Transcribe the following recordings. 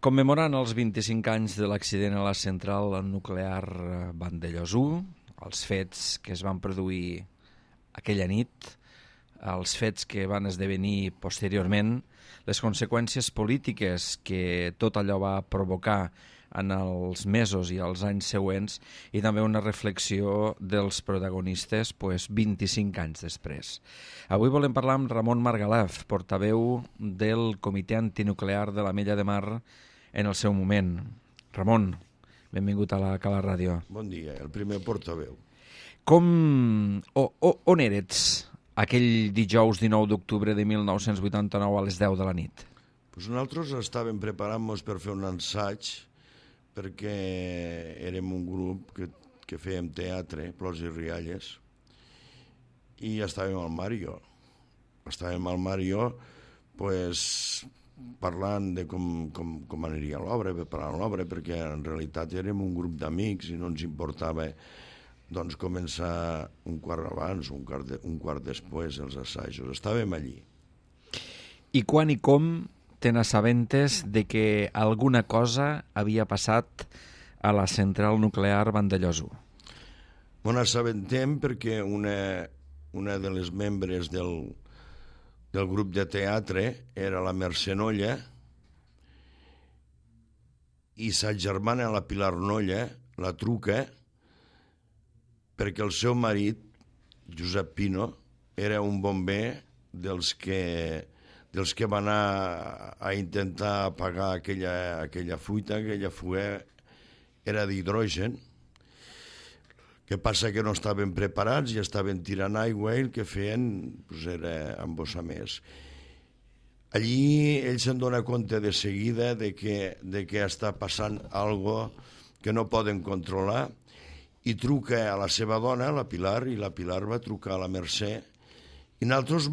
Commemorant els 25 anys de l'accident a la central nuclear Vandellòs 1, els fets que es van produir aquella nit, els fets que van esdevenir posteriorment, les conseqüències polítiques que tot allò va provocar en els mesos i els anys següents i també una reflexió dels protagonistes 25 anys després. Avui volem parlar amb Ramon Margalef, portaveu del Comitè Antinuclear de l'Ametlla de Mar en el seu moment. Ramon, benvingut a la Cala Ràdio. Bon dia, el primer portaveu. On eres aquell dijous 19 d'octubre de 1989 a les 10 de la nit? Nosaltres estàvem preparant-nos per fer un assaig perquè érem un grup que fèiem teatre, plors i rialles, i estàvem al Mario. Estàvem al Mario parlant de com aniria l'obra, preparant l'obra, perquè en realitat érem un grup d'amics i no ens importava començar un quart abans, un quart després, els assajos. Estàvem allí. I quan i com te n'assabentes de que alguna cosa havia passat a la central nuclear Vandellòs 1? M'ho n'assabentem perquè una de les membres del grup de teatre era la Mercè Nolla i sa germana, la Pilar Nolla, la truca perquè el seu marit, Josep Pino, era un bomber dels que va anar a intentar apagar aquella fuita, aquella fuga era d'hidrogen. Que passa que no estaven preparats i estaven tirant aigua i el que feien era embossar més. Allí ell se'n dona compte de seguida de que està passant algo que no poden controlar i truca a la seva dona, la Pilar, i la Pilar va trucar a la Mercè i nosaltres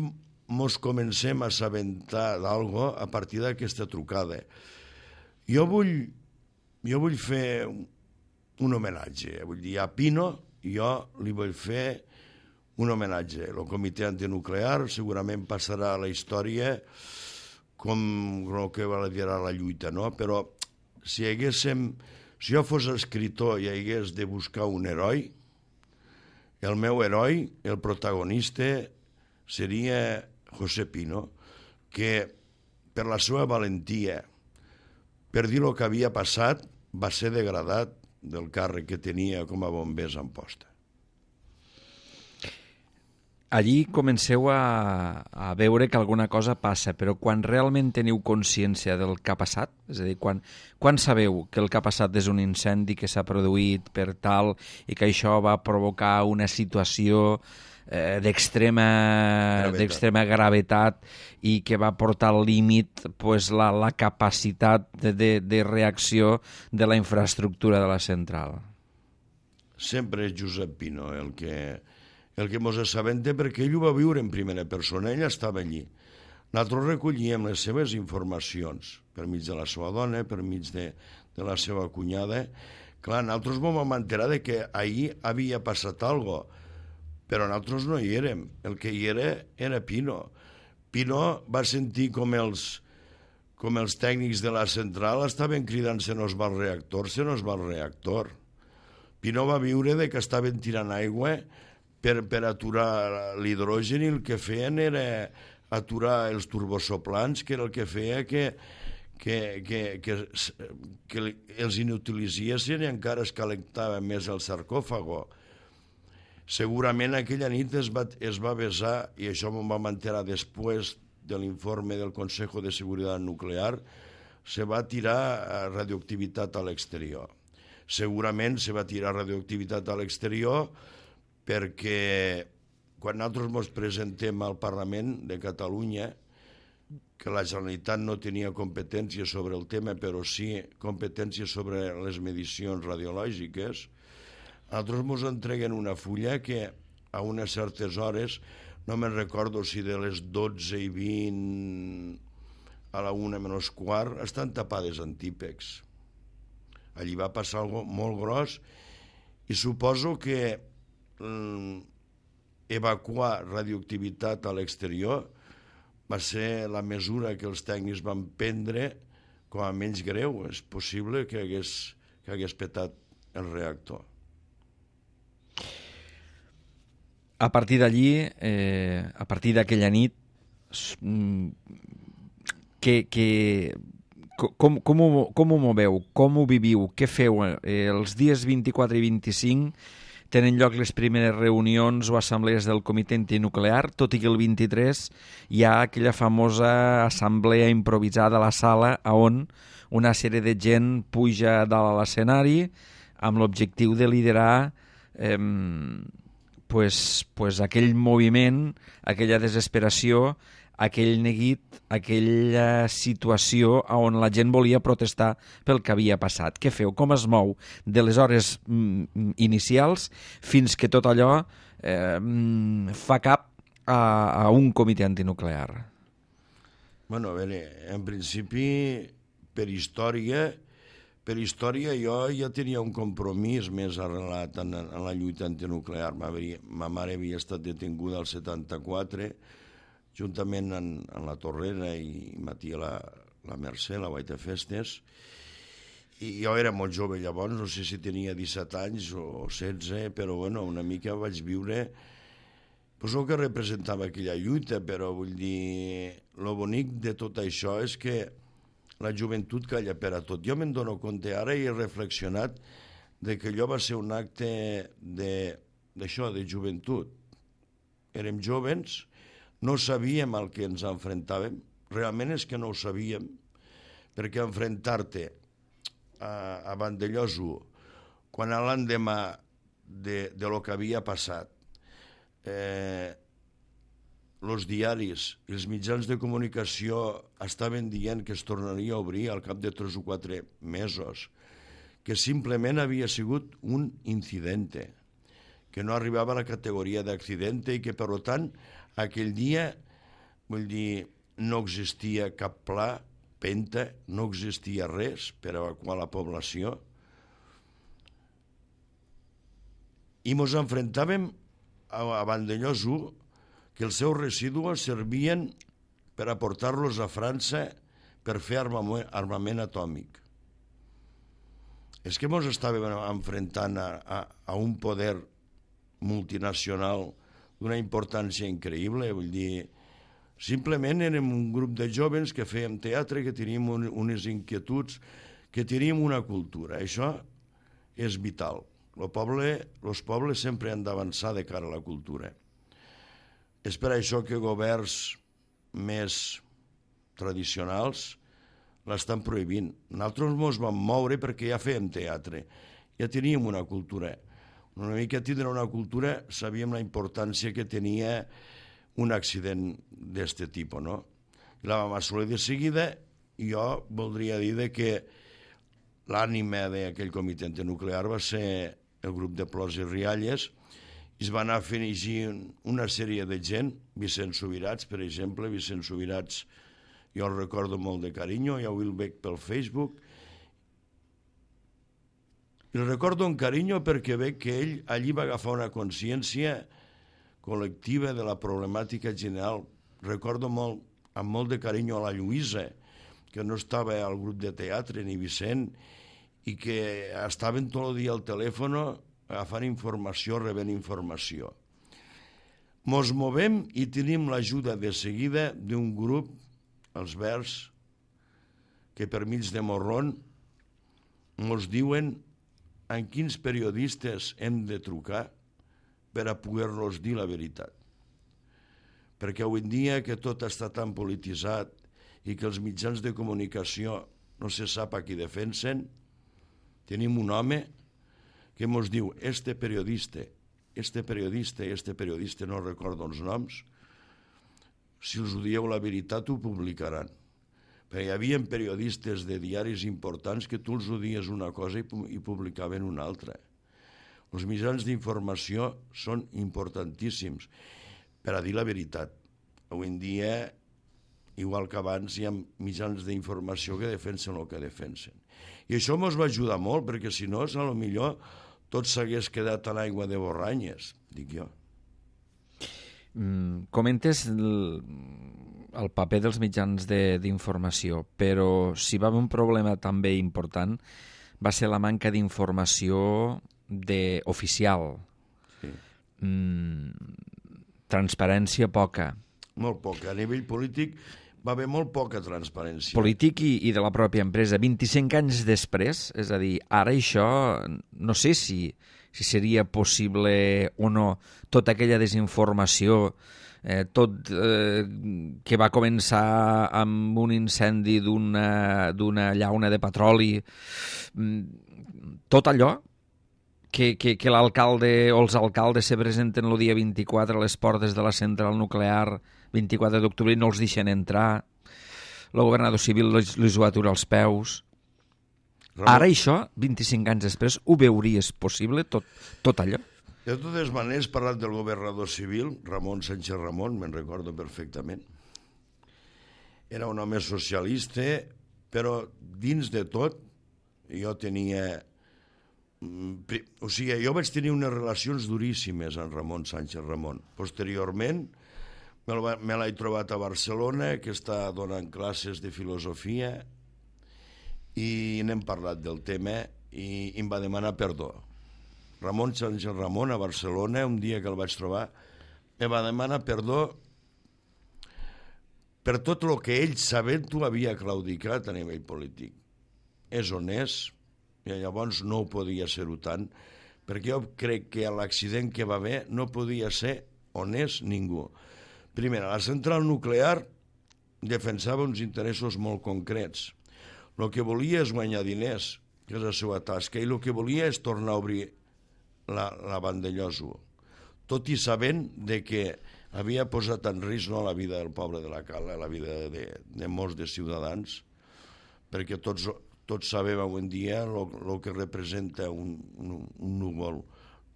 mos comencem a assabentar d'algo a partir d'aquesta trucada. Jo vull fer un homenatge, vull dir, a Pino jo li vull fer un homenatge. El Comitè Antinuclear segurament passarà a la història com el que va liderar la lluita, no? Però si jo fos escriptor i hagués de buscar un heroi, el meu heroi, el protagonista, seria José Pino, que per la seva valentia, per dir el que havia passat, va ser degradat del càrrec que tenia com a bombers en posta. Allí comenceu a veure que alguna cosa passa, però quan realment teniu consciència del que ha passat, és a dir, quan sabeu que el que ha passat és un incendi que s'ha produït per tal i que això va provocar una situació d'extrema gravetat i que va portar al límit la capacitat de reacció de la infraestructura de la central? Sempre és Josep Pino el que mos assabenta, perquè ell ho va viure en primera persona, ell estava allí. Nosaltres recollíem les seves informacions per mig de la seva dona, per mig de la seva cunyada. Clar, nosaltres vam enterar que ahir havia passat alguna cosa, però nosaltres no hi érem. El que hi era Pino. Pino va sentir com els tècnics de la central estaven cridant se nos va el reactor. Pino va viure que estaven tirant aigua per aturar l'hidrogen i el que feien era aturar els turbosoplants, que era el que feia que els inutilitzessin i encara es calentava més el sarcòfago. Segurament aquella nit es va besar, i això m'ho vam enterar després de l'informe del Consejo de Seguridad Nuclear, se va tirar radioactivitat a l'exterior. Segurament se va tirar radioactivitat a l'exterior perquè quan nosaltres ens presentem al Parlament de Catalunya, que la Generalitat no tenia competència sobre el tema, però sí competència sobre les medicions radiològiques, nosaltres ens entreguen una fulla que a unes certes hores, no me'n recordo si de les 12:20 a la 1:15, estan tapades en típex. Allí va passar alguna cosa molt gros i suposo que evacuar radioactivitat a l'exterior va ser la mesura que els tècnics van prendre com a menys greu. És possible que hagués petat el reactor. A partir d'allí, a partir d'aquella nit, com ho moveu? Com ho viviu? Què feu? Els dies 24 i 25 tenen lloc les primeres reunions o assemblees del comitè antinuclear, tot i que el 23 hi ha aquella famosa assemblea improvisada a la sala on una sèrie de gent puja dalt a l'escenari amb l'objectiu de liderar aquell moviment, aquella desesperació, aquell neguit, aquella situació on la gent volia protestar pel que havia passat. Què feu? Com es mou de les hores inicials fins que tot allò fa cap a un comitè antinuclear? Bueno, a veure, en principi, per història jo ja tenia un compromís més arrelat en la lluita antinuclear. Ma mare havia estat detinguda al 74, juntament amb la Torrera i ma tia la Mercè, la Guaita Festes, i jo era molt jove llavors, no sé si tenia 17 anys o 16, però bueno, una mica vaig viure el que representava aquella lluita, però vull dir, lo bonic de tot això és que la joventut calla per a tot. Jo me'n dono compte ara i he reflexionat de que allò va ser un acte d'això, de joventut. Érem jovens, no sabíem al que ens enfrontàvem, realment és que no ho sabíem, perquè enfrontar-te a Vandellòs 1, quan l'endemà de lo que havia passat, els diaris i els mitjans de comunicació estaven dient que es tornaria a obrir al cap de 3 o 4 mesos, que simplement havia sigut un incidente, que no arribava a la categoria d'accidente i que, per tant, aquell dia, vull dir, no existia cap pla, penta, no existia res per evacuar la població. I ens enfrontàvem a Vandellòs 1, que els seus residus servien per aportar-los a França per fer armament atòmic. És que ens estàvem enfrontant a un poder multinacional d'una importància increïble, vull dir, simplement érem un grup de jóvens que fèiem teatre, que teníem unes inquietuds, que teníem una cultura. Això és vital. Els pobles sempre han d'avançar de cara a la cultura. És per això que governs més tradicionals l'estan prohibint. Nosaltres ens vam moure perquè ja fèiem teatre, ja teníem una cultura. Una mica tindre una cultura, sabíem la importància que tenia un accident d'aquest tipus, no? I la vam assolir de seguida, i jo voldria dir que l'ànima d'aquell comitè antinuclear va ser el grup de Plors i Rialles, i es va anar fent una sèrie de gent, Vicent Subirats, per exemple. Vicent Subirats, jo el recordo molt de carinyo, ja ho veig pel Facebook. I el recordo amb carinyo perquè veig que ell allí va agafar una consciència col·lectiva de la problemàtica general. Recordo amb molt de carinyo a la Lluïsa, que no estava al grup de teatre, ni Vicent, i que estaven tot el dia al telèfon agafant informació, rebent informació. Mos movem i tenim l'ajuda de seguida d'un grup, els Verds, que per mig de morron mos diuen en quins periodistes hem de trucar per a poder-los dir la veritat. Perquè avui en dia que tot està tan polititzat i que els mitjans de comunicació no se sap a qui defensen, tenim un home que ens diu, este periodista, no recordo els noms, si els ho dieu la veritat ho publicaran. Perquè hi havia periodistes de diaris importants que tu els ho dies una cosa i publicaven una altra. Els mitjans d'informació són importantíssims per a dir la veritat. Avui en dia, igual que abans, hi ha mitjans d'informació que defensen el que defensen. I això ens va ajudar molt, perquè si no, potser tot s'hagués quedat a l'aigua de borranyes, dic jo. Comentes el paper dels mitjans d'informació, però si va haver un problema també important va ser la manca d'informació oficial. Sí. Transparència poca. Molt poca. A nivell polític va haver molt poca transparència. Polític i de la pròpia empresa. 25 anys després, és a dir, ara això, no sé si seria possible o no, tota aquella desinformació, que va començar amb un incendi d'una llauna de petroli, tot allò que l'alcalde o els alcaldes se presenten el dia 24 a les portes de la central nuclear, 24 d'octubre, i no els deixen entrar, el governador civil els ho atura als peus. Ramon, ara això, 25 anys després, ho veuries possible, tot allò? De totes maneres, parlat del governador civil, Ramon Sánchez Ramon, me'n recordo perfectament. Era un home socialista, però dins de tot jo tenia... O sigui, jo vaig tenir unes relacions duríssimes amb Ramon Sánchez Ramon. Posteriorment, me l'he trobat a Barcelona, que està donant classes de filosofia, i n'hem parlat del tema i em va demanar perdó. Ramon Sánchez Ramon a Barcelona, un dia que el vaig trobar, me va demanar perdó per tot el que ell, sabent-ho, havia claudicat a nivell polític. És honest, i llavors no ho podia ser-ho tant, perquè jo crec que a l'accident que va haver no podia ser honest ningú. Primer, la central nuclear defensava uns interessos molt concrets. El que volia és guanyar diners, que és la seva tasca, i el que volia és tornar a obrir la Vandellòs-1, tot i sabent que havia posat en risc no la vida del poble de la Cala, la vida de molts de ciutadans, perquè tots sabem avui en dia el que representa un núvol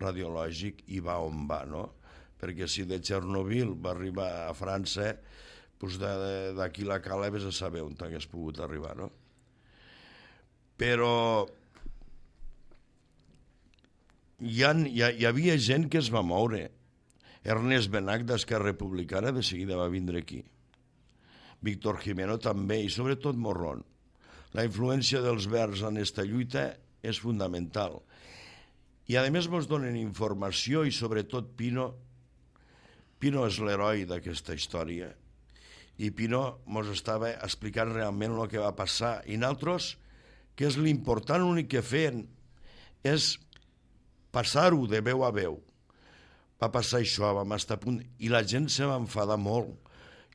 radiològic i va on va, no? Perquè si de Chernobyl va arribar a França, doncs d'aquí la Cala vés a saber on hagués pogut arribar, no? Però hi havia gent que es va moure. Ernest Benach d'Esquerra Republicana de seguida va vindre aquí. Víctor Jimeno també, i sobretot Morrón. La influència dels verds en aquesta lluita és fundamental. I a més ens donen informació i sobretot Pino és l'heroi d'aquesta història. I Pino ens estava explicant realment el que va passar. I nosaltres, que és l'important, l'únic que feien és passar-ho de veu a veu. Va passar això, vam estar a punt, i la gent se va enfadar molt.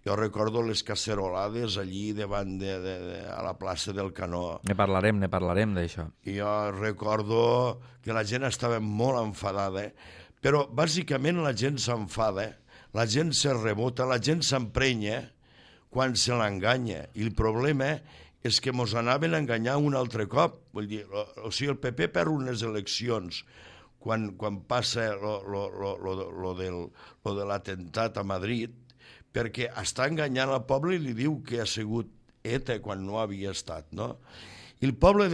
Jo recordo les cacerolades allí davant a la plaça del Canó. Ne parlarem d'això. I jo recordo que la gent estava molt enfadada, però bàsicament la gent s'enfada, la gent se rebota, la gent s'emprenya quan se l'enganya. I el problema és que mos anaven a enganyar un altre cop. Vull dir, o sigui, el PP perd unes eleccions quan passa lo de l'atemptat a Madrid, perquè està enganyant al poble i li diu que ha sigut ETA quan no havia estat, no? I el poble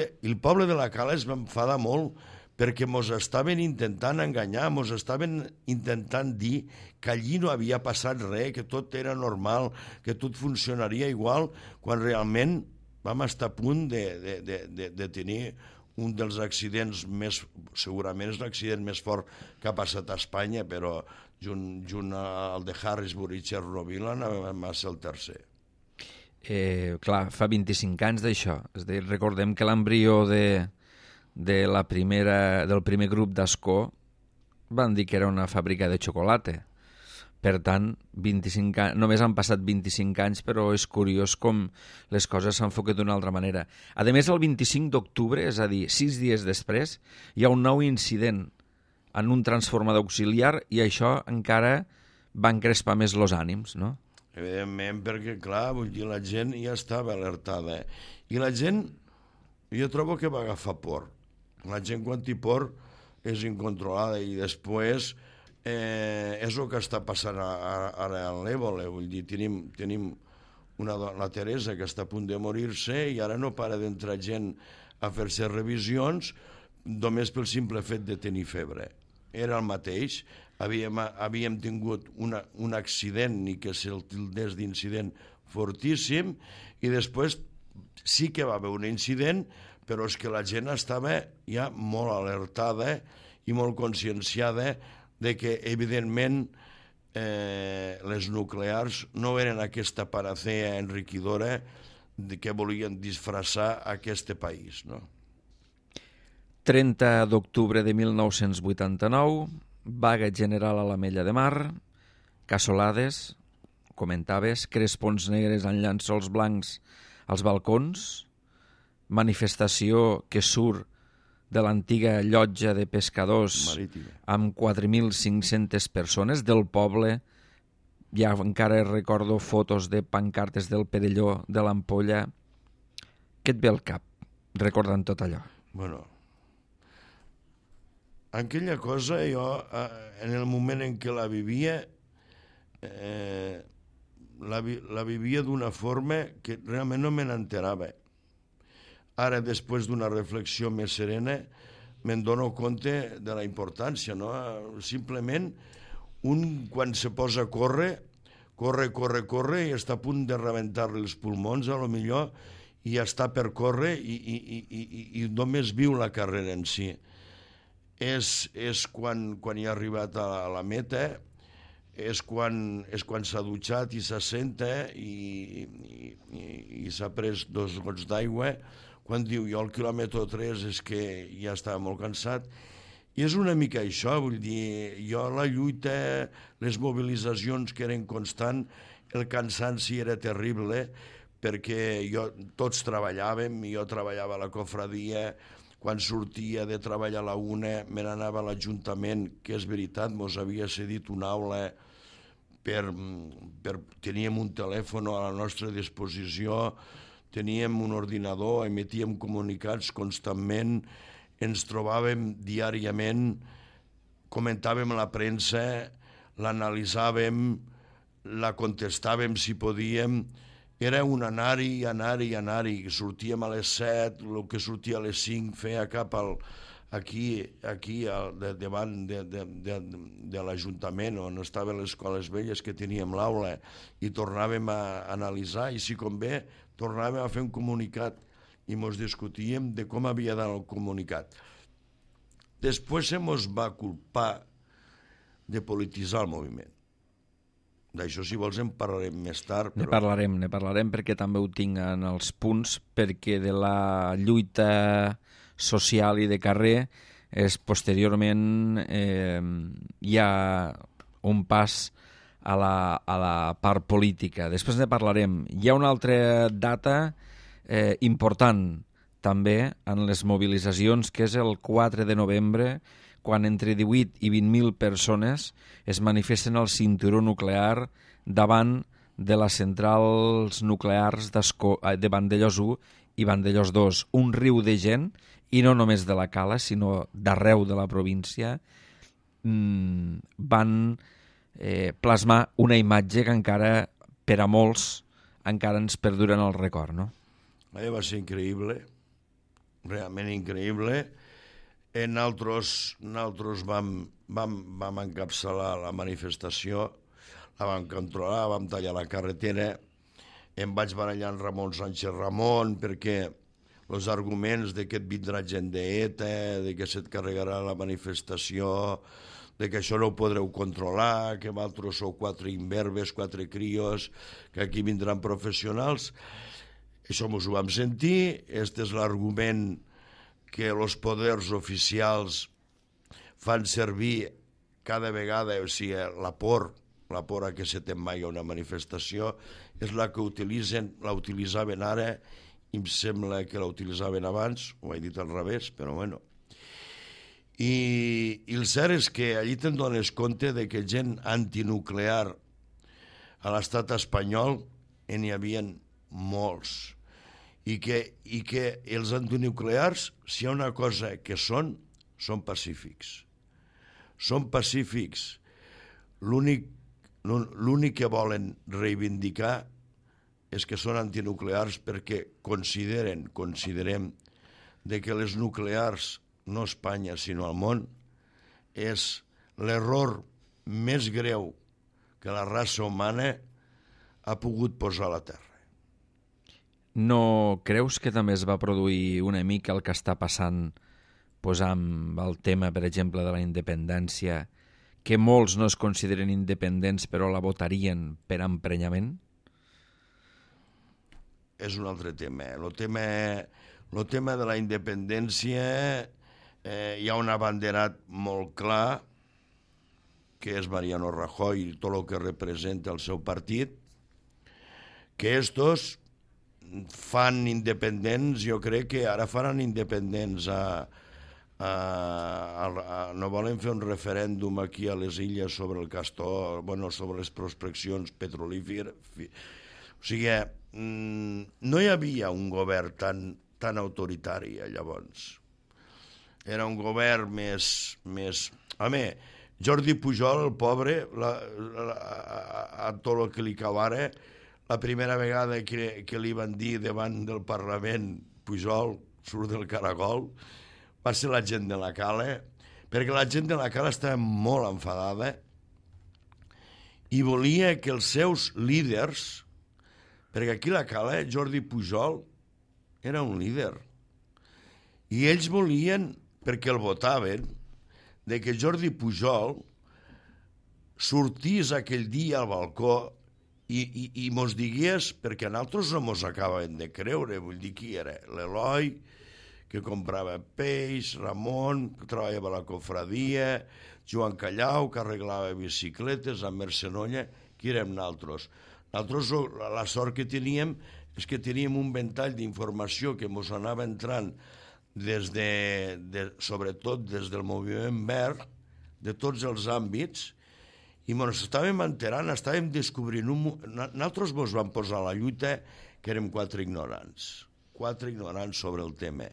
de la Cala es va enfadar molt perquè mos estaven intentant enganyar, mos estaven intentant dir que allí no havia passat res, que tot era normal, que tot funcionaria igual, quan realment vam estar a punt de tenir un dels accidents més, segurament és l'accident més fort que ha passat a Espanya, però junt al de Harrisburg i Chernobyl va ser el tercer. Clar, fa 25 anys d'això. És a dir, recordem que l'embrió del primer grup d'Ascó van dir que era una fàbrica de xocolata. Per tant, només han passat 25 anys, però és curiós com les coses s'enfoquen d'una altra manera. A més, el 25 d'octubre, és a dir, 6 dies després, hi ha un nou incident en un transformador auxiliar i això encara va encrespar més els ànims, no? Evidentment, perquè, clar, vull dir, la gent ja estava alertada. I la gent, jo trobo que va agafar por. La gent, quan té por, és incontrolada i després és el que està passant ara a l'Ébola. Vull dir, tenim la Teresa que està a punt de morir-se i ara no para d'entrar gent a fer-se revisions només pel simple fet de tenir febre. era el mateix. Havíem tingut un accident, i que se'l tildés d'incident fortíssim, i després sí que va haver un incident, però és que la gent estava ja molt alertada i molt conscienciada de que, evidentment, les nuclears no eren aquesta panacea enriquidora que volien disfressar aquest país, no? 30 d'octubre de 1989, vaga general a l'Ametlla de Mar, cassolades, comentaves, crespons negres en llençols blancs als balcons, manifestació que surt de l'antiga llotja de pescadors Marítima, amb 4.500 persones del poble. Ja encara recordo fotos de pancartes del Perelló, de l'Ampolla. Què et ve al cap recordant tot allò? Bueno, aquella cosa jo, en el moment en què la vivia, la vivia d'una forma que realment no me n'enterava. Ara, després d'una reflexió més serena, me'n dono compte de la importància, no? Simplement, quan se posa a córrer, corre, i està a punt de rebentar-li els pulmons, a lo millor, i ja està per córrer i només viu la carrera en si. És quan hi ha arribat a la meta, és quan s'ha dutxat i s'assenta i s'ha pres 2 gots d'aigua, quan diu jo al quilòmetre 3 és que ja estava molt cansat. I és una mica això, vull dir, jo la lluita, les mobilitzacions que eren constant, el cansanci era terrible, perquè tots treballàvem, jo treballava a la cofradia, quan sortia de treballar a la 1 me n'anava a l'Ajuntament, que és veritat, mos havia cedit una aula, teníem un telèfon a la nostra disposició, teníem un ordinador, emetíem comunicats constantment, ens trobàvem diàriament, comentàvem la premsa, l'analitzàvem, la contestàvem si podíem, era un anar-hi, sortíem a les 7, el que sortia a les 5 feia cap aquí davant de l'Ajuntament on estaven les escoles velles, que teníem l'aula, i tornàvem a analitzar, i si convé tornàvem a fer un comunicat i mos discutíem de com havia d'anar el comunicat. Després se mos va culpar de polititzar el moviment. D'això, si vols, en parlarem més tard. Ne parlarem perquè també ho tinc en els punts, perquè de la lluita social i de carrer posteriorment hi ha un pas a la part política. Després ne parlarem. Hi ha una altra data important també en les mobilitzacions, que és el 4 de novembre, quan entre 18 i 20.000 persones es manifesten al cinturó nuclear davant de les centrals nuclears de Vandellòs 1 i Vandellòs 2. Un riu de gent, i no només de la Cala, sinó d'arreu de la província, van plasmar una imatge que encara, per a molts, encara ens perdura en el record, no? Allò va ser increïble, realment increïble. Nosaltres vam encapçalar la manifestació, la vam controlar, vam tallar la carretera, em vaig barallar amb Ramon Sánchez Ramon perquè els arguments de que et vindrà gent d'ETA, de que se't carregarà la manifestació, de que això no ho podreu controlar, que vosaltres sou 4 imberbes, 4 crios, que aquí vindran professionals. Això mos ho vam sentir, este és l'argument que els poders oficials fan servir cada vegada, o sigui, la por a que se te'n vagi a una manifestació, és la que la utilitzaven ara, i em sembla que la utilitzaven abans, ho he dit al revés, però bueno. I el cert és que allí te'n dones compte de que gent antinuclear a l'estat espanyol n'hi havia molts. I que els antinuclears, si hi ha una cosa que són pacífics. Són pacífics. L'únic que volen reivindicar és que són antinuclears perquè considerem de que les nuclears, no a Espanya sinó al món, és l'error més greu que la raça humana ha pogut posar a la Terra. No creus que també es va produir una mica el que està passant amb el tema, per exemple, de la independència, que molts no es consideren independents però la votarien per emprenyament? És un altre tema. El tema de la independència hi ha un abanderat molt clar, que és Mariano Rajoy i tot el que representa el seu partit, que estos fan independents, jo crec que ara faran independents no volen fer un referèndum aquí a les illes sobre el castor, sobre les prospeccions petrolíferes. O sigui, no hi havia un govern tan autoritari llavors. Era un govern més... Home, Jordi Pujol, el pobre, a tot el que li cau ara, la primera vegada que li van dir davant del Parlament, Pujol surt del caragol, va ser la gent de la Cala, perquè la gent de la Cala estava molt enfadada i volia que els seus líders, perquè aquí a la Cala Jordi Pujol era un líder, i ells volien, perquè el votaven, de que Jordi Pujol sortís aquell dia al balcó i mos digués, perquè a nosaltres no mos acaben de creure, vull dir, qui era? L'Eloi, que comprava peix, Ramon, que treballava a la cofradia, Joan Callau, que arreglava bicicletes, amb Mercenolla, qui érem nosaltres? Nosaltres la sort que teníem és que teníem un ventall d'informació que mos anava entrant sobretot des del moviment verd, de tots els àmbits, i ens estàvem enterant, estàvem descobrint... Nosaltres ens vam posar a la lluita que érem quatre ignorants sobre el tema.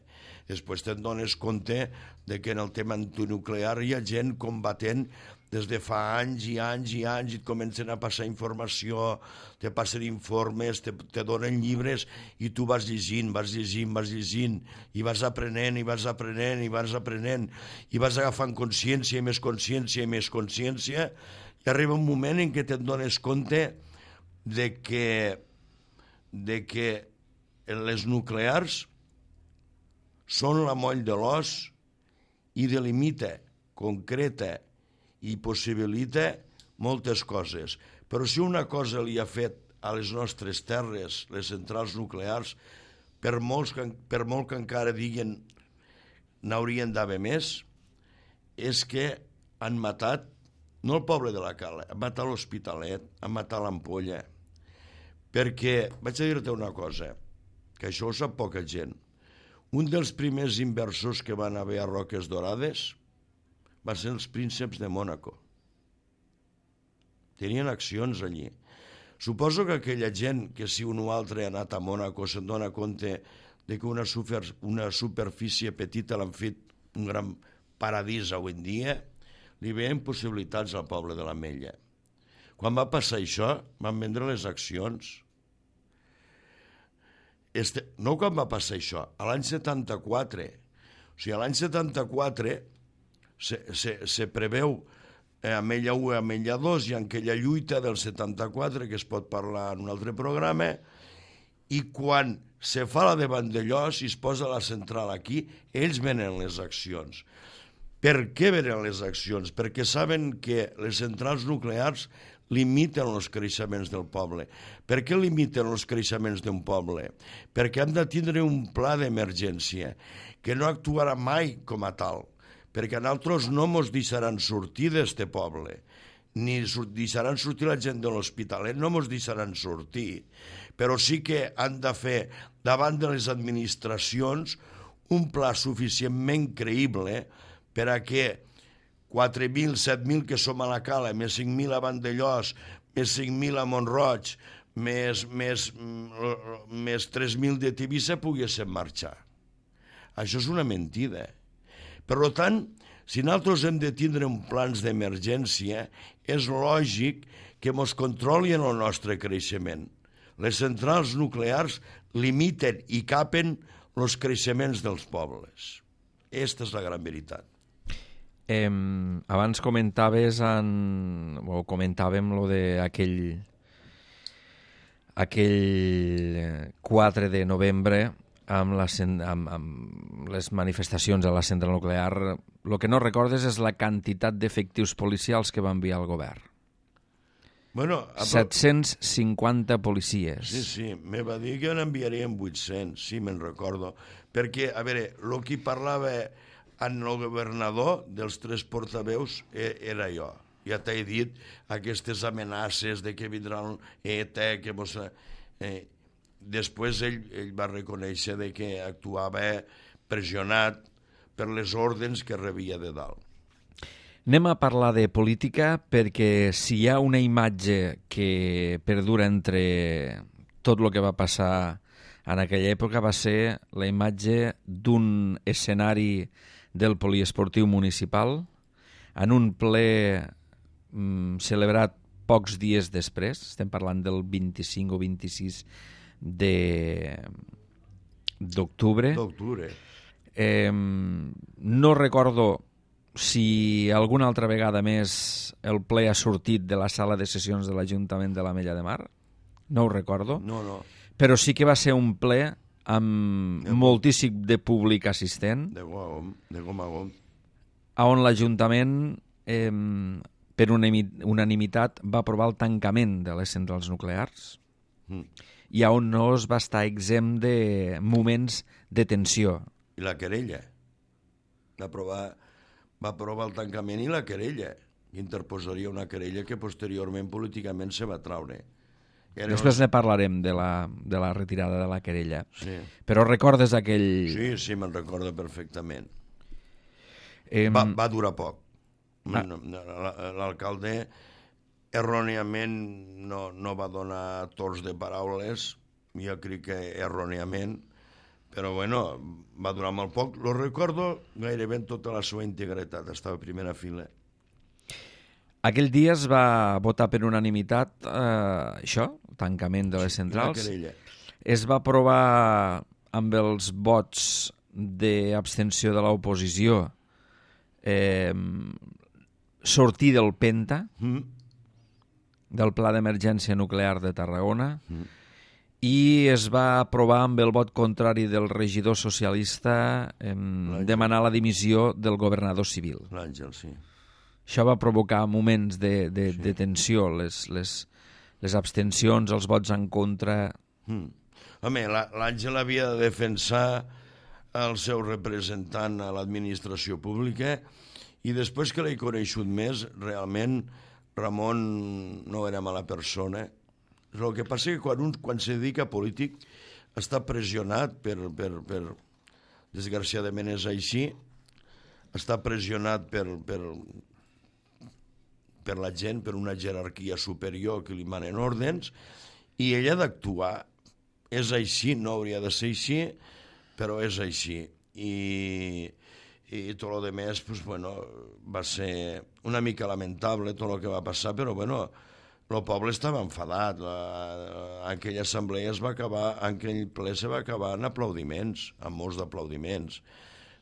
Després te'n dones compte de que en el tema antinuclear hi ha gent combatent des de fa anys i anys i anys, i et comencen a passar informació, te passen informes, te donen llibres, i tu vas llegint, i vas aprenent, i vas agafant consciència i més consciència, i arriba un moment en què te'n dones compte de que les nuclears són la moll de l'os i delimita, concreta i possibilita moltes coses. Però si una cosa li ha fet a les nostres terres, les centrals nuclears, per molt que encara diguen n'haurien d'haver més, és que han matat no el poble de la Cala, han matat l'Hospitalet, han matat l'Ampolla. Perquè, vaig a dir-te una cosa, que això ho sap poca gent. Un dels primers inversors que van haver a Roques Dorades van ser els prínceps de Mònaco. Tenien accions allí. Suposo que aquella gent, que si un o altre ha anat a Mònaco, se'n dona compte de que una superfície petita l'han fet un gran paradís avui en dia, li veien possibilitats al poble de l'Ametlla. Quan va passar això, van vendre les accions. No quan va passar això, a l'any 74. O sigui, a l'any 74 se preveu Ametlla 1 i Ametlla 2, i en aquella lluita del 74, que es pot parlar en un altre programa, i quan se fa la de Vandellós i es posa la central aquí, ells venen les accions. Per què venen les accions? Perquè saben que les centrals nuclears limiten els creixements del poble. Per què limiten els creixements d'un poble? Perquè hem de tindre un pla d'emergència que no actuarà mai com a tal, perquè a nosaltres no ens deixaran sortir d'este poble, ni deixaran sortir la gent de l'Hospitalet, no ens deixaran sortir, però sí que han de fer davant de les administracions un pla suficientment creïble per a que 4.000, 7.000 que som a la Cala, més 5.000 a Vandellós, més 5.000 a Mont-roig, més 3.000 de Tivissa poguessin marxar. Això és una mentida. Per tant, si nosaltres hem de tindre un plans d'emergència, és lògic que ens controlin el nostre creixement. Les centrals nuclears limiten i capen els creixements dels pobles. Aquesta és la gran veritat. Abans comentàvem lo de aquell 4 de novembre amb les manifestacions a la central nuclear. El que no recordes és la quantitat d'efectius policials que va enviar el govern. Bueno, 750 policies. Sí, me va dir que n'enviarien 800, sí, me'n recordo. Perquè, a veure, el que parlava en el governador dels 3 portaveus era jo. Ja t'he dit aquestes amenaces de que vindran ETA, que mos... Després ell va reconèixer de que actuava pressionat per les ordres que rebia de dalt. Anem a parlar de política perquè si hi ha una imatge que perdura entre tot el que va passar en aquella època va ser la imatge d'un escenari del poliesportiu municipal en un ple celebrat pocs dies després, estem parlant del 25 o 26 d'octubre. No recordo si alguna altra vegada més el ple ha sortit de la sala de sessions de l'Ajuntament de l'Ametlla de Mar. No ho recordo. No. Però sí que va ser un ple amb moltíssim de públic assistent. De gom a gom. On l'Ajuntament, per unanimitat, va aprovar el tancament de les centrals nuclears i on no es va estar exempt de moments de tensió. I la querella. Va aprovar el tancament i la querella. Interposaria una querella que posteriorment políticament se va traure. Després ne parlarem de la retirada de la querella. Sí. Però recordes aquell... Sí, me'n recordo perfectament. Va durar poc. L'alcalde erròniament no va donar torns de paraules, jo crec que erròniament, però bueno, va durar molt poc. Lo recordo gairebé en tota la seva integritat, estava a primera fila. Aquell dia es va votar per unanimitat això, el tancament de les centrals. Es va aprovar amb els vots d'abstenció de l'oposició sortir del PENTA, del Pla d'Emergència Nuclear de Tarragona, i es va aprovar amb el vot contrari del regidor socialista demanar la dimissió del governador civil. L'Àngel, sí. Això va provocar moments de tensió, les abstencions, els vots en contra. Home, l'Àngel havia de defensar el seu representant a l'administració pública i després que l'he coneixut més, realment Ramon no era mala persona. El que passa que quan se dedica a polític està pressionat per desgraciadament és així, està pressionat per la gent, per una jerarquia superior que li manen ordens, i ell ha d'actuar. És així, no hauria de ser així, però és així. I tot el més, pues, bueno, va ser una mica lamentable tot el que va passar, però bueno, el poble estava enfadat. Aquella assemblea aquell ple se va acabar en aplaudiments, amb molts d'aplaudiments.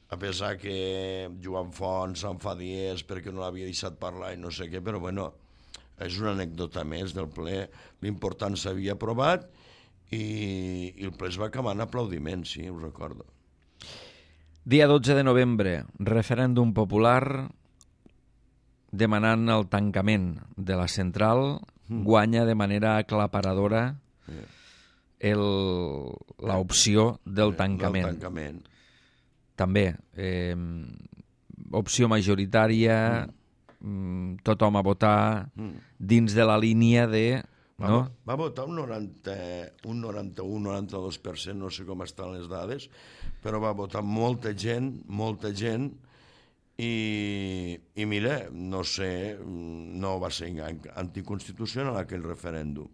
A pesar que Joan Font s'enfadiés perquè no l'havia deixat parlar i no sé què, però bueno, és una anècdota més del ple. L'important s'havia aprovat i el ple es va acabar en aplaudiments, sí, ho recordo. Dia 12 de novembre, referèndum popular demanant el tancament de la central, guanya de manera aclaparadora l'opció del tancament. També, opció majoritària, tothom a votar dins de la línia de... Va votar un 91-92%, no sé com estan les dades, però va votar molta gent, i mira, no sé, no va ser anticonstitucional aquell referèndum.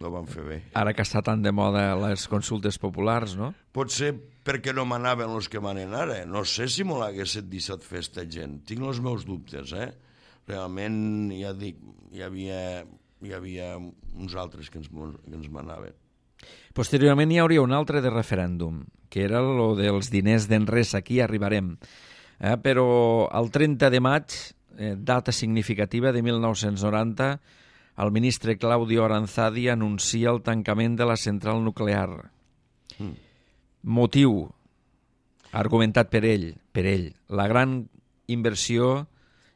No van fer bé. Ara que està tan de moda les consultes populars, no? Potser perquè no manaven els que manen ara. No sé si m'ho haguessin deixat fer esta gent. Tinc els meus dubtes, Realment, ja dic, hi havia uns altres que ens manaven. Posteriorment hi hauria un altre de referèndum, que era el dels diners d'Enresa. Aquí arribarem. Però el 30 de maig, data significativa de 1990, el ministre Claudio Aranzadi anuncia el tancament de la central nuclear. Motiu, argumentat per ell, la gran inversió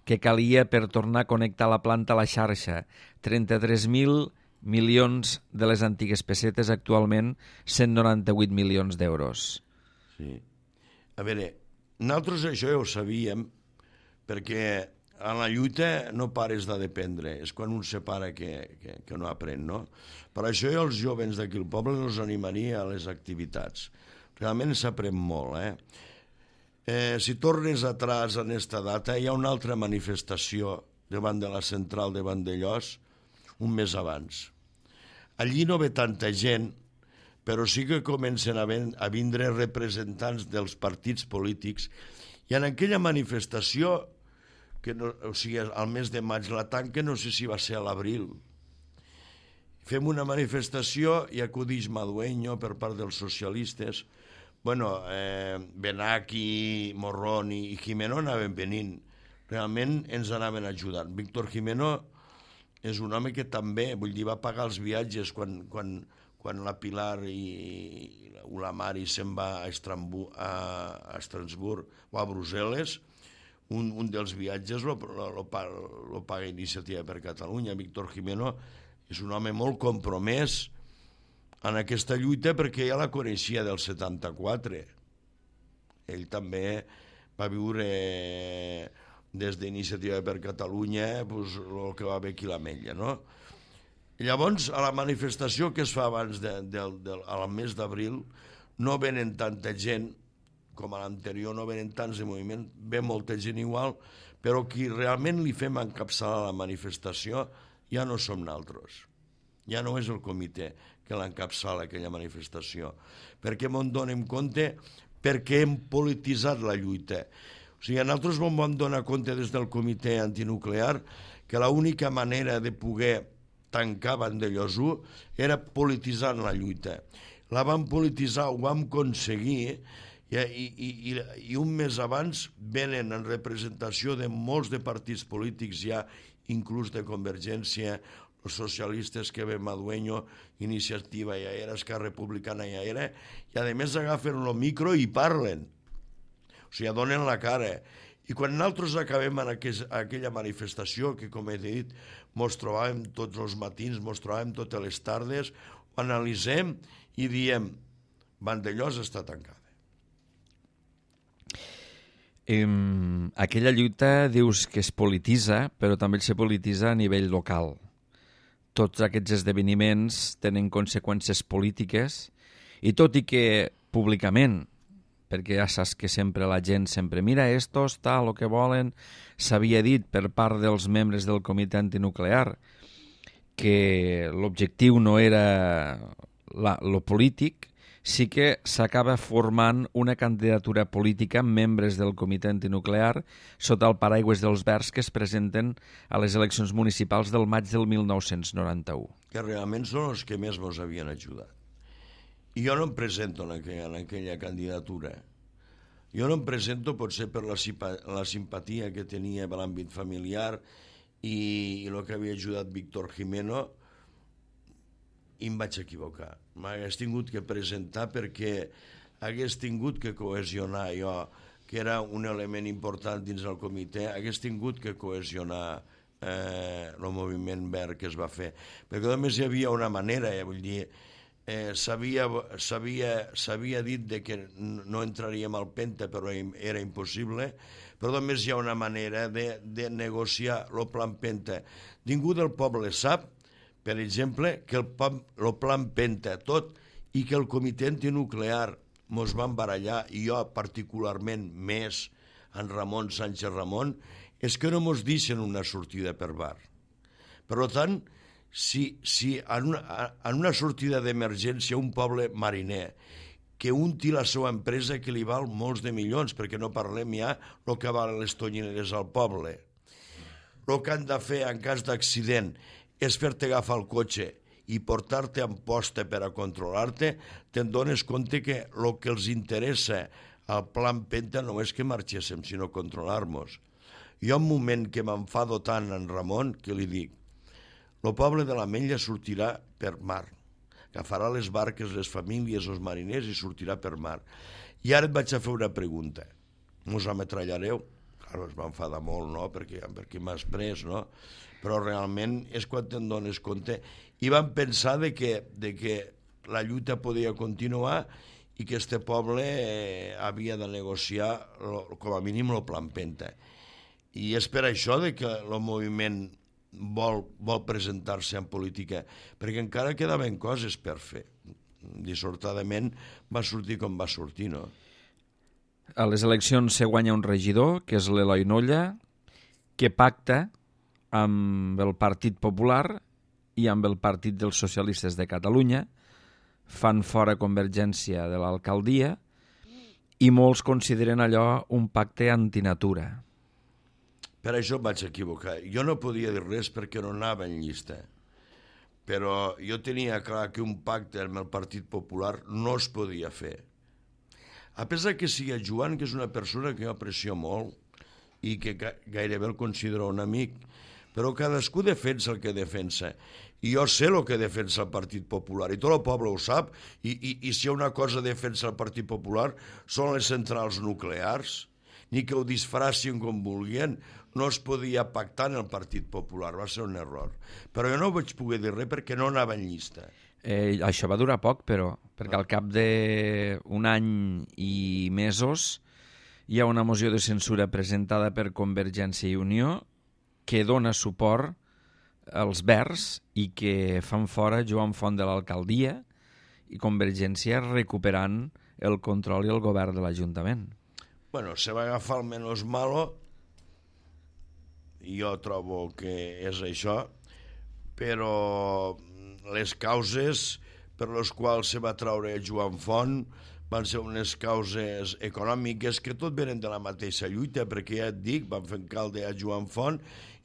que calia per tornar a connectar la planta a la xarxa, 33.000 milions de les antigues pessetes, actualment 198 milions d'euros. Sí. A veure, nosaltres això ja ho sabíem, perquè a la lluita no pares de dependre, és quan un se para que no aprèn, no? Per això jo els jovens d'aquí al poble els animaria a les activitats. Realment s'aprèn molt, si tornes atrás en esta data, hi ha una altra manifestació davant de la central de Vandellòs un mes abans. Allí no ve tanta gent, però sí que comencen a vindre representants dels partits polítics, i en aquella manifestació, o sigui, al mes de maig la tanca, no sé si va ser a l'abril, fem una manifestació i acudix Madueño per part dels socialistes. Bueno, Benaki, Morrón i Jimeno anaven venint. Realment ens anaven ajudant. Víctor Jimeno és un home que també, vull dir, va pagar els viatges quan la Pilar i la Mari se'n va a Estrasburg o a Brussel·les. Un dels viatges lo paga Iniciativa per Catalunya. Víctor Jimeno és un home molt compromès en aquesta lluita, perquè ja la coneixia del 74. Ell també va viure des d'Iniciativa per Catalunya el que va haver aquí a l'Ametlla, no? Llavors, a la manifestació que es fa abans al mes d'abril, no venen tanta gent com a l'anterior, no venen tants de moviment, ve molta gent igual, però qui realment li fem encapçalar la manifestació ja no som nosaltres. Ja no és el comitè que l'encapçala aquella manifestació, perquè m'en donem compte perquè hem polititzat la lluita. O sigui, nosaltres vam donar compte des del comitè antinuclear que l'única manera de poder tancar Vandellòs 1 era polititzant la lluita. La vam polititzar, ho vam aconseguir, i un mes abans venen en representació de molts de partits polítics ja, inclús de Convergència, els socialistes que ve Madueño, Iniciativa ja era, Esquerra Republicana ja era, i a més agafen el micro i parlen. O sigui, donen la cara. I quan nosaltres acabem en aquella manifestació, que com he dit, mos trobàvem tots els matins, mos trobàvem totes les tardes, ho analitzem i diem, Vandellòs està tancada. Aquella lluita dius que es polititza, però també se polititza a nivell local. Tots aquests esdeveniments tenen conseqüències polítiques, i tot i que públicament, perquè ja saps que sempre la gent sempre mira esto, està el que volen, s'havia dit per part dels membres del comitè antinuclear que l'objectiu no era lo polític, sí que s'acaba formant una candidatura política amb membres del comitè antinuclear sota el paraigües dels Verds que es presenten a les eleccions municipals del maig del 1991. Que realment són els que més ens havien ajudat. I jo no em presento en aquella candidatura. Jo no em presento potser per la simpatia que tenia per l'àmbit familiar i el que havia ajudat Víctor Jimeno, i em vaig equivocar. M'hagués tingut que presentar perquè hagués tingut que cohesionar jo, que era un element important dins del comitè, hagués tingut que cohesionar el moviment verd que es va fer. Perquè només hi havia una manera, vull dir, s'havia dit que no entraríem al Penta, però era impossible, però només hi ha una manera de negociar el plan Penta. Ningú del poble sap, per exemple, que el plan Penta tot i que el comitè antinuclear mos van barallar, i jo particularment més, en Ramon Sánchez Ramon, és que no mos deixen una sortida per bar. Per tant, si en una sortida d'emergència un poble mariner que un té la seva empresa que li val molts de milions, perquè no parlem ja el que valen les tonyineres al poble, el que han de fer en cas d'accident és fer-te agafar el cotxe i portar-te en posta per a controlar-te, te'n dones compte que el que els interessa al plan Penta no és que marxéssim, sinó controlar-nos. Jo un moment que m'enfado tant en Ramon que li dic: el poble de l'Ametlla sortirà per mar, agafarà les barques, les famílies, els mariners i sortirà per mar. I ara et vaig a fer una pregunta. Mos ametrallareu? Claro, es va enfadar molt, no? Perquè m'has pres, no? Però realment és quan te'n dones compte. I van pensar de que la lluita podia continuar i que este poble havia de negociar com a mínim el plan Penta. I és per això de que el moviment vol presentar-se en política, perquè encara quedaven coses per fer. Dissortadament va sortir com va sortir, no? A les eleccions se guanya un regidor, que és l'Eloi Nolla, que pacta amb el Partit Popular i amb el Partit dels Socialistes de Catalunya, fan fora Convergència de l'alcaldia i molts consideren allò un pacte antinatura. Per això em vaig equivocar. Jo no podia dir res perquè no anava en llista. Però jo tenia clar que un pacte amb el Partit Popular no es podia fer. A pesar que sigui Joan, que és una persona que jo aprecio molt i que gairebé el considero un amic, però cadascú defensa el que defensa. I jo sé el que defensa el Partit Popular, i tot el poble ho sap, i si hi ha una cosa defensa el Partit Popular són les centrals nuclears, ni que ho disfracin com volien. No es podia pactar en el Partit Popular, va ser un error. Però jo no vaig poder dir res perquè no anava en llista. Això va durar poc, però, perquè al cap d'un any i mesos hi ha una moció de censura presentada per Convergència i Unió que dona suport als Verds i que fan fora Joan Font de l'alcaldia i Convergència recuperant el control i el govern de l'Ajuntament. Bueno, se va agafar el menos malo, jo trobo que és això, però les causes per les quals se va treure Joan Font van ser unes causes econòmiques que tot venen de la mateixa lluita, perquè ja et dic, van fer alcalde a Joan Font,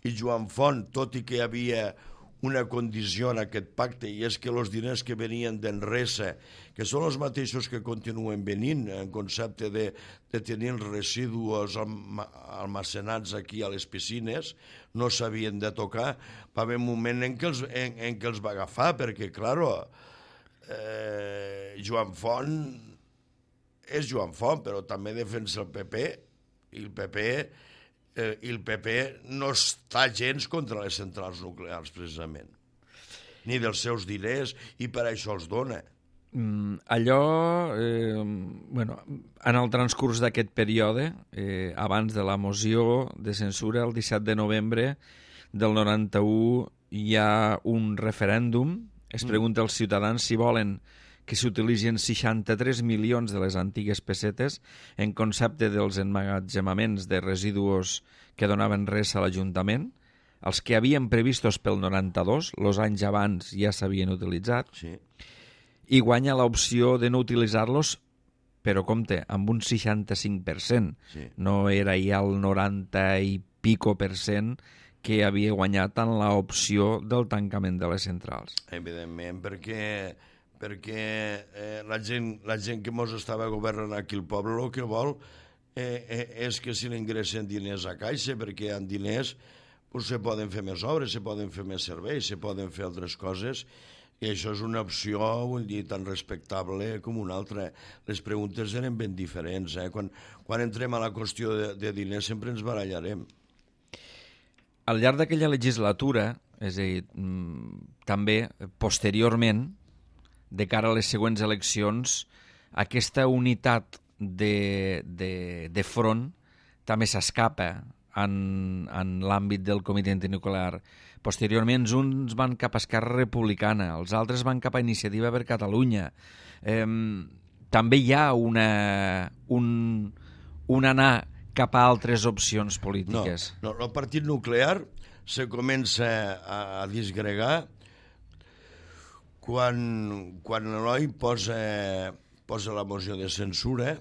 i Joan Font, tot i que hi havia una condició en aquest pacte, i és que els diners que venien d'Enresa, que són els mateixos que continuen venint, en concepte de tenir els residus almacenats aquí a les piscines, no s'havien de tocar. Va haver un moment en què els va agafar, perquè, clar, Joan Font és Joan Font, però també defensa el PP, i el PP no està gens contra les centrals nuclears, precisament, ni dels seus diners, i per això els dona. En el transcurs d'aquest període, abans de la moció de censura, el 17 de novembre del 91, hi ha un referèndum. Es pregunta als ciutadans si volen que s'utilitzin 63 milions de les antigues pessetes en concepte dels emmagatzemaments de residus que donaven res a l'Ajuntament. Els que havien previstos pel 92, els anys abans ja s'havien utilitzat, sí. I guanya l'opció de no utilitzar-los, però compte, amb un 65%. Sí. No era ja el 90 i pico % que havia guanyat en l'opció del tancament de les centrals. Evidentment, perquè la gent que mos estava governant aquí el poble el que vol és que se n'ingressen diners a caixa, perquè hi ha diners, pues, se poden fer més obres, se poden fer més serveis, se poden fer altres coses, i això és una opció, vull dir, tan respectable com una altra. Les preguntes eren ben diferents. Quan entrem a la qüestió de diners sempre ens barallarem. Al llarg d'aquella legislatura, és a dir, també posteriorment, de cara a les següents eleccions, aquesta unitat de front també s'escapa en l'àmbit del Comitè Antinuclear. Posteriorment, uns van cap a Esquerra Republicana, els altres van cap a Iniciativa per Catalunya. També hi ha un anar cap a altres opcions polítiques. No, el Partit Nuclear se comença a disgregar quan l'Eloi posa la moció de censura,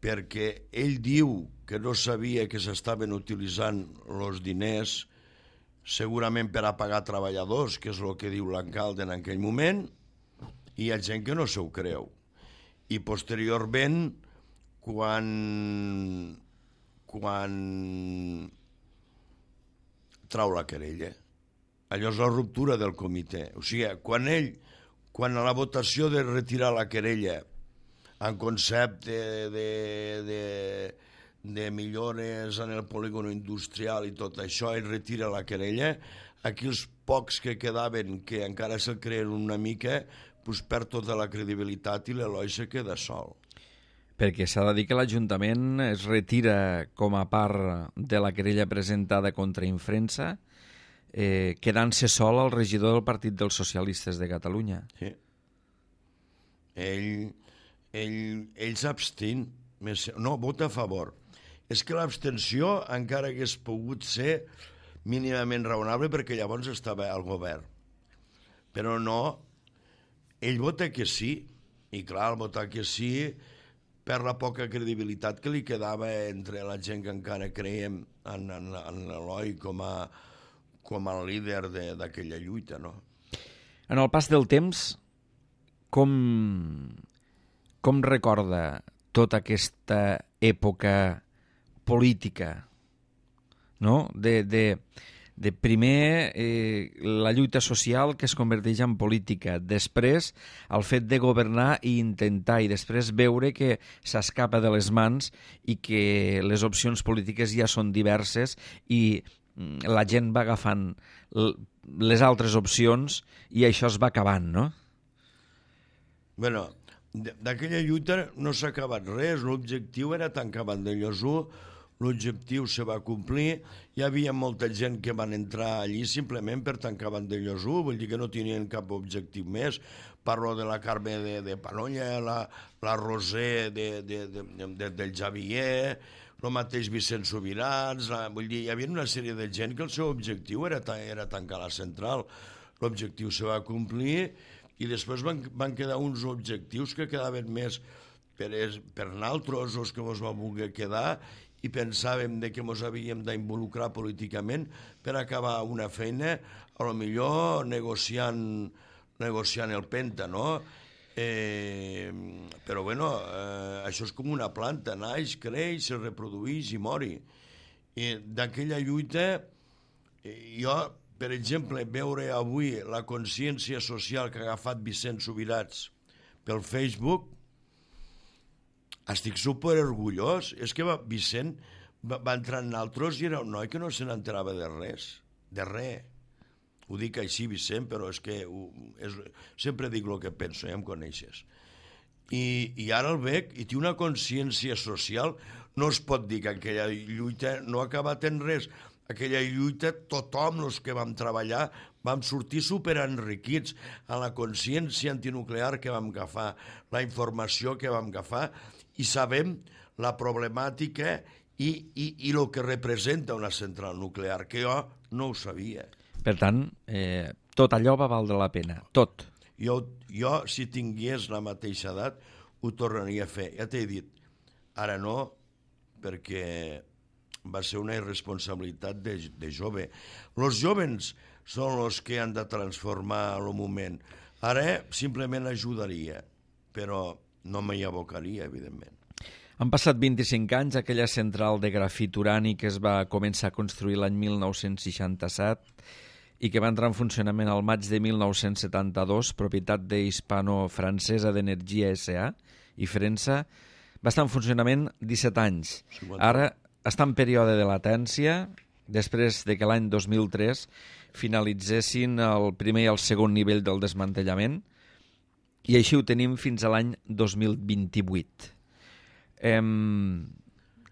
perquè ell diu que no sabia que s'estaven utilitzant els diners segurament per a pagar treballadors, que és el que diu l'alcalde en aquell moment, i hi ha gent que no s'ho creu. I posteriorment, quan trau la querella. Allò és la ruptura del comitè. O sigui, quan a la votació de retirar la querella en concepte de millores en el polígon industrial i tot això, ell retira la querella, aquí els pocs que quedaven, que encara se'l creen una mica, doncs perd tota la credibilitat i l'Eloi se queda sol. Perquè s'ha de dir que l'Ajuntament es retira com a part de la querella presentada contra Infrensa, quedant-se sol el regidor del Partit dels Socialistes de Catalunya. Sí. Ell s'abstén, no, vota a favor. És que l'abstenció encara hagués pogut ser mínimament raonable perquè llavors estava al govern. Però no, ell vota que sí, i clar, al votar que sí, per la poca credibilitat que li quedava entre la gent que encara creiem en l'Eloi com a líder d'aquella lluita, no? En el pas del temps, com recorda tota aquesta època política, no? De primer la lluita social que es converteix en política, després el fet de governar i intentar, i després veure que s'escapa de les mans i que les opcions polítiques ja són diverses i la gent va agafant les altres opcions i això es va acabant, no? Bueno, d'aquella lluita no s'ha acabat res, l'objectiu era tancar Vandellòs 1, l'objectiu se va complir, hi havia molta gent que van entrar allí simplement per tancar Vandellòs 1, vull dir que no tenien cap objectiu més. Parlo de la Carme de Panolla, la Roser del Javier, el mateix Vicent Subirats, vull dir, hi havia una sèrie de gent que el seu objectiu era tancar la central. L'objectiu se va complir i després van quedar uns objectius que quedaven més per naltros, els que ens vam voler quedar, i pensàvem que ens havíem d'involucrar políticament per acabar una feina, a lo millor negociant el Penta, no? Però bueno, això és com una planta, naix, creix, se reprodueix i mori. I d'aquella lluita, jo, per exemple, veure avui la consciència social que ha agafat Vicent Subirats pel Facebook, estic superorgullós. És que Vicent va entrar en altres i era un noi que no se n'enterava de res, de res. Ho dic així, Vicent, però és que sempre dic el que penso, ja em coneixes. I ara el veig i té una consciència social. No es pot dir que aquella lluita no ha acabat en res. Aquella lluita, tothom, els que vam treballar, vam sortir superenriquits a la consciència antinuclear que vam agafar, la informació que vam agafar, i sabem la problemàtica i el que representa una central nuclear, que jo no ho sabia. Per tant, tot allò va valdre la pena, tot. Jo, si tingués la mateixa edat, ho tornaria a fer. Ja t'he dit, ara no, perquè va ser una irresponsabilitat de jove. Els jovens són els que han de transformar el moment. Ara simplement ajudaria, però no m'hi abocaria, evidentment. Han passat 25 anys, aquella central de grafit urani que es va començar a construir l'any 1967 i que va entrar en funcionament al maig de 1972, propietat de Hispano-Francesa d'Energia S.A. i Frensa, va estar en funcionament 17 anys. Ara està en període de latència, després de que l'any 2003 finalitzessin el primer i el segon nivell del desmantellament, i així ho tenim fins a l'any 2028.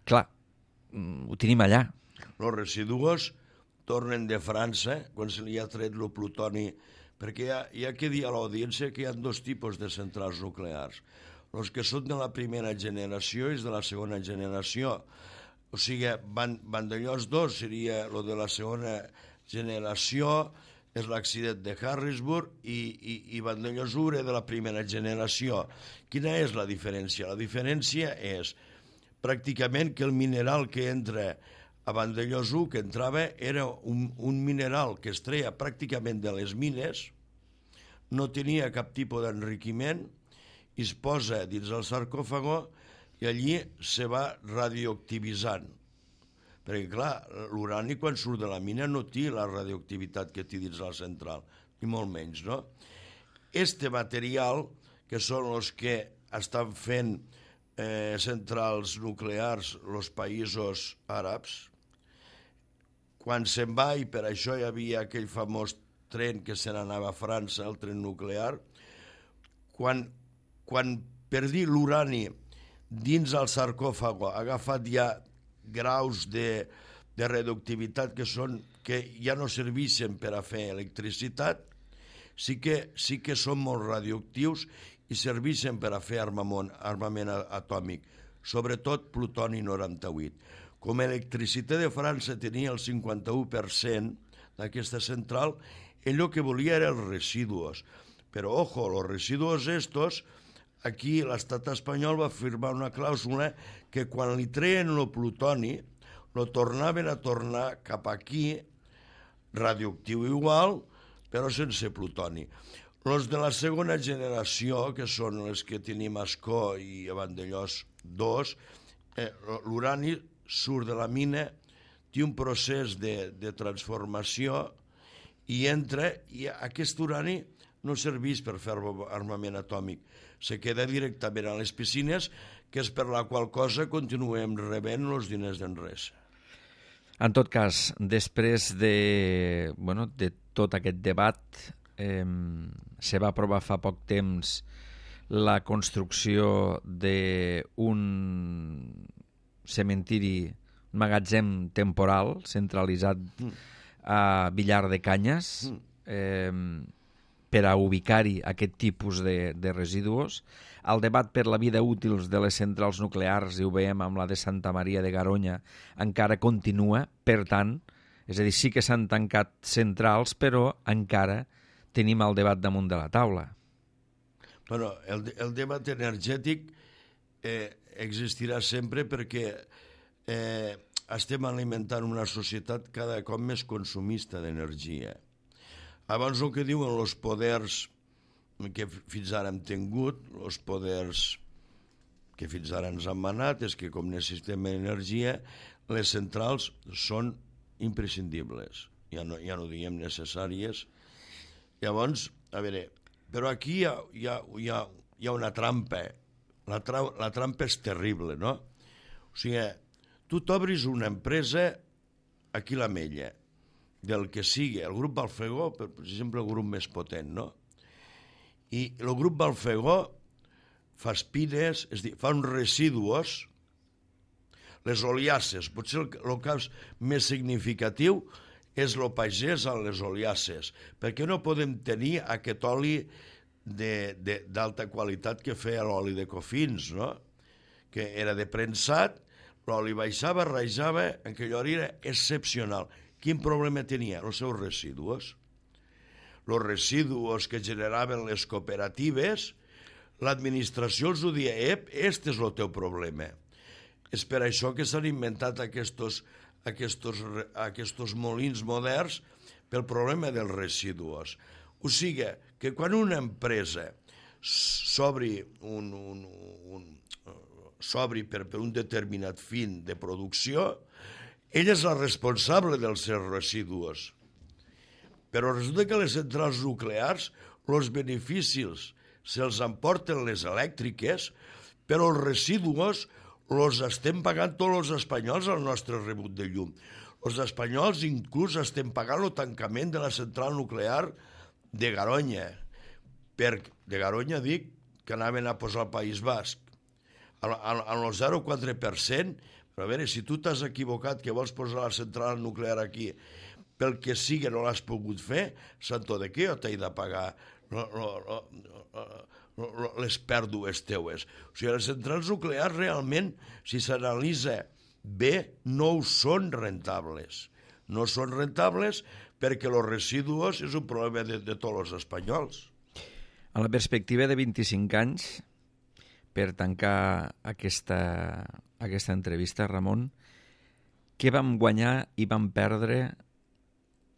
Clar, ho tenim allà. Els residus tornen de França, quan se li ha tret el plutoni, perquè hi ha que dir a l'audiència que hi ha dos tipus de centrals nuclears. Els que són de la primera generació i de la segona generació. O sigui, Vandellòs 2 seria el de la segona generació, és l'accident de Harrisburg, i Vandellòs 1 era de la primera generació. Quina és la diferència? La diferència és pràcticament que el mineral que entra a Vandellòs 1, que entrava, era un mineral que es treia pràcticament de les mines, no tenia cap tipus d'enriquiment, i es posa dins el sarcòfago, i allí se va radioactivitzant. Perquè, clar, l'urani quan surt de la mina no té la radioactivitat que té dins la central, ni molt menys, no? Este material, que són els que estan fent centrals nuclears els països àrabs, quan se'n va, i per això hi havia aquell famós tren que se n'anava a França, el tren nuclear, quan per dir l'urani dins el sarcòfago ha agafat ja graus de radioactivitat que ja no serveixen per a fer electricitat, sí que són molt radioactius i serveixen per a fer armament atòmic, sobretot plutoni 98. Com Electricitat de França tenia el 51% d'aquesta central, ell el que volia era els residus. Però, ojo, els residus estos, aquí l'estat espanyol va firmar una clàusula que quan li treien el plutoni, lo tornaven a tornar cap aquí, radioactiu igual, però sense plutoni. Els de la segona generació, que són els que tenim a Ascó i a Vandellòs 2, l'urani surt de la mina, té un procés de transformació i entra, i aquest urani no serveix per fer armament atòmic, se queda directament a les piscines, que és per la qual cosa continuem rebent els diners d'Enresa. En tot cas, després de tot aquest debat, se va aprovar fa poc temps la construcció d'un cementiri, un magatzem temporal centralitzat a Villar de Canyes per a ubicar-hi aquest tipus de residus. El debat per la vida útil de les centrals nuclears, i ho veiem amb la de Santa Maria de Garoña, encara continua. Per tant, és a dir, sí que s'han tancat centrals, però encara tenim el debat damunt de la taula. Bueno, el debat energètic existirà sempre perquè estem alimentant una societat cada cop més consumista d'energia. Abans el que diuen els poders que fins ara hem tingut, els poders que fins ara ens han manat, és que com necessitem energia, les centrals són imprescindibles, ja no diguem necessàries. Llavors, a veure, però aquí hi ha una trampa. La trampa és terrible, no? O sigui, tu t'obris una empresa aquí a l'Ametlla, del que sigui, el grup Balfegó, per exemple, el grup més potent, no? I el grup Balfegó fa espines, és a dir, fa uns residus, les oliasses, potser el cas més significatiu és el pagès amb les oliasses, perquè no podem tenir aquest oli d'alta qualitat que feia l'oli de Cofins, no? Que era de premsat, l'oli baixava, rajava, en aquella hora era excepcional. Quin problema tenia? Els seus residus. Els residus que generaven les cooperatives, l'administració els ho dia, este és el teu problema. És per això que s'han inventat aquests molins moderns pel problema dels residus. O sigui, que quan una empresa s'obri per un determinat fin de producció, ella és la responsable dels seus residus. Però resulta que les centrals nuclears, els beneficis se'ls emporten les elèctriques, però els residus els estem pagant tots els espanyols al nostre rebut de llum. Els espanyols inclús estem pagant el tancament de la central nuclear de Garoña. De Garoña dic que anaven a posar al País Basc. En el 0,4%, però a veure, si tu t'has equivocat que vols posar la central nuclear aquí, pel que sigui no l'has pogut fer, santo de què jo t'he de pagar les pèrdues teues? O sigui, les centrals nuclears realment, si s'analitza bé, no són rentables. No són rentables perquè els residus és un problema de tots els espanyols. A la perspectiva de 25 anys, per tancar aquesta entrevista, Ramon, què vam guanyar i vam perdre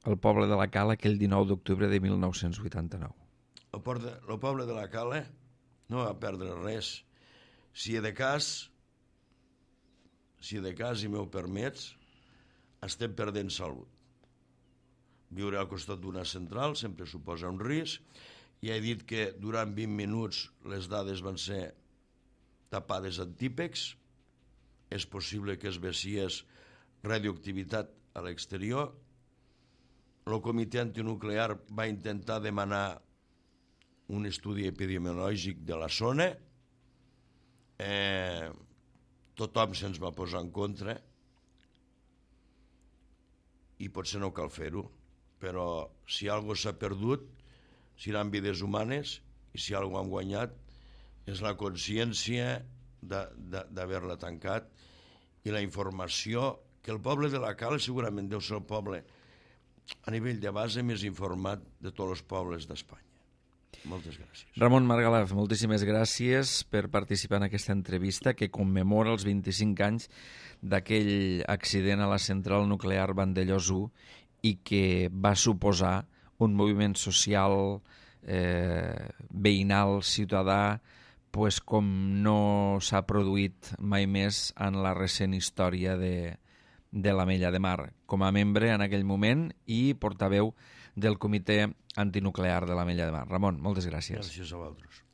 el poble de la Cala aquell 19 d'octubre de 1989? El poble de la Cala no va perdre res. Si de cas, si de cas i m'ho permets, estem perdent salut. Viure al costat d'una central sempre suposa un risc. Ja he dit que durant 20 minuts les dades van ser tapades en típex. És possible que es veiés radioactivitat a l'exterior. El comitè antinuclear va intentar demanar un estudi epidemiològic de la zona. Tothom se'ns va posar en contra i potser no cal fer-ho, però si alguna cosa s'ha perdut seran vides humanes i si alguna cosa han guanyat és la consciència d'haver-la tancat i la informació que el poble de la Cal segurament deu ser el poble a nivell de base més informat de tots els pobles d'Espanya. Moltes gràcies. Ramon Margalef, moltíssimes gràcies per participar en aquesta entrevista que commemora els 25 anys d'aquell accident a la central nuclear Vandellòs 1 i que va suposar un moviment social, veïnal, ciutadà, pues com no s'ha produït mai més en la recent història de l'Ametlla de Mar, com a membre en aquell moment i portaveu del Comitè Antinuclear de l'Ametlla de Mar. Ramon, moltes gràcies. Gràcies a vosaltres.